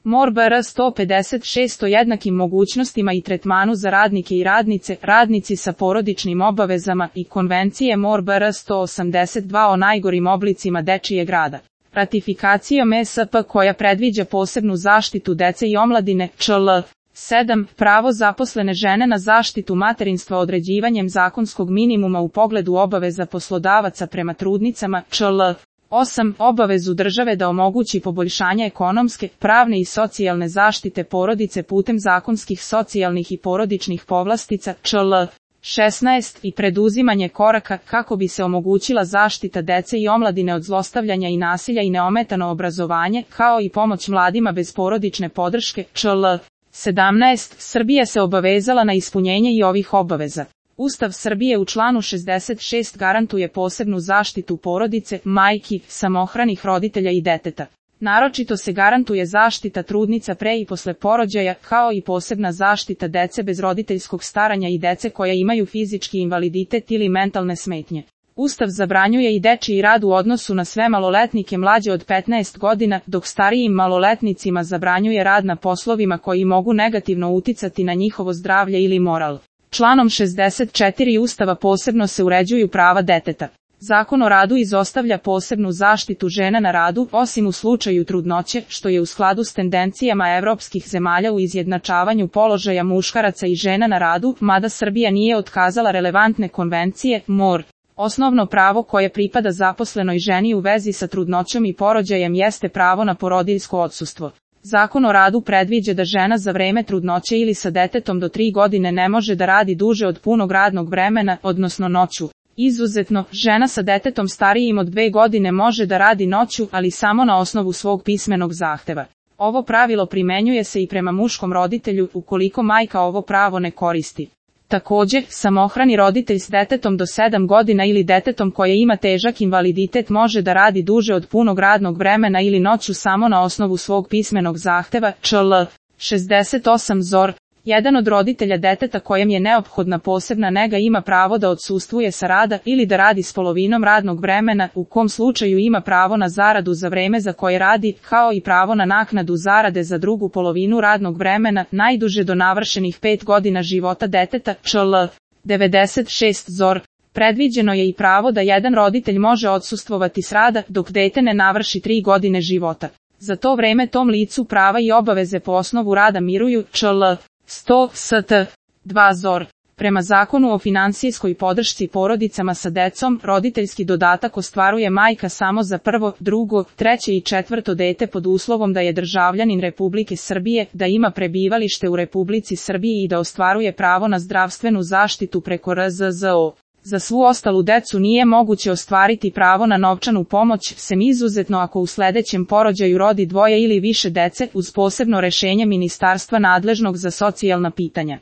MOR BR 156 o jednakim mogućnostima i tretmanu za radnike i radnice, radnici sa porodičnim obavezama i Konvencije MOR BR 182 o najgorim oblicima dečijeg rada. Ratifikacijom ESP koja predviđa posebnu zaštitu dece i omladine, čl. 7. Pravo zaposlene žene na zaštitu materinstva određivanjem zakonskog minimuma u pogledu obaveza poslodavaca prema trudnicama, čl. 8. Obavezu države da omogući poboljšanje ekonomske, pravne i socijalne zaštite porodice putem zakonskih socijalnih i porodičnih povlastica, čl. 16. I preduzimanje koraka kako bi se omogućila zaštita dece i omladine od zlostavljanja i nasilja i neometano obrazovanje, kao i pomoć mladima bez porodične podrške, čl. 17. Srbija se obavezala na ispunjenje i ovih obaveza. Ustav Srbije u članu 66 garantuje posebnu zaštitu porodice, majki, samohranih roditelja i deteta. Naročito se garantuje zaštita trudnica pre i posle porođaja, kao i posebna zaštita dece bez roditeljskog staranja i dece koja imaju fizički invaliditet ili mentalne smetnje. Ustav zabranjuje i dečiji rad u odnosu na sve maloletnike mlađe od 15 godina, dok starijim maloletnicima zabranjuje rad na poslovima koji mogu negativno uticati na njihovo zdravlje ili moral. Članom 64 Ustava posebno se uređuju prava deteta. Zakon o radu izostavlja posebnu zaštitu žena na radu, osim u slučaju trudnoće, što je u skladu s tendencijama evropskih zemalja u izjednačavanju položaja muškaraca i žena na radu, mada Srbija nije otkazala relevantne konvencije, MOR. Osnovno pravo koje pripada zaposlenoj ženi u vezi sa trudnoćom i porođajem jeste pravo na porodiljsko odsustvo. Zakon o radu predviđa da žena za vreme trudnoće ili sa detetom do 3 godine ne može da radi duže od punog radnog vremena, odnosno noću. Izuzetno, žena sa detetom starijim od 2 godine može da radi noću, ali samo na osnovu svog pismenog zahteva. Ovo pravilo primenjuje se i prema muškom roditelju ukoliko majka ovo pravo ne koristi. Također, samohrani roditelj s detetom do 7 godina ili detetom koje ima težak invaliditet može da radi duže od punog radnog vremena ili noću samo na osnovu svog pismenog zahteva, čl. 68 ZOR. Jedan od roditelja deteta kojem je neophodna posebna nega ima pravo da odsustvuje sa rada ili da radi s polovinom radnog vremena, u kom slučaju ima pravo na zaradu za vreme za koje radi, kao i pravo na naknadu zarade za drugu polovinu radnog vremena, najduže do navršenih 5 godina života deteta, čl. 96 ZOR. Predviđeno je i pravo da jedan roditelj može odsustvovati s rada dok dete ne navrši 3 godine života. Za to vreme tom licu prava i obaveze po osnovu rada miruju, čl. 100 st. 2 ZOR. Prema Zakonu o finansijskoj podršci porodicama sa decom, roditeljski dodatak ostvaruje majka samo za prvo, drugo, treće i četvrto dete pod uslovom da je državljanin Republike Srbije, da ima prebivalište u Republici Srbiji i da ostvaruje pravo na zdravstvenu zaštitu preko RZZO. Za svu ostalu decu nije moguće ostvariti pravo na novčanu pomoć, sem izuzetno ako u sledećem porođaju rodi 2 ili više dece, uz posebno rešenje ministarstva nadležnog za socijalna pitanja.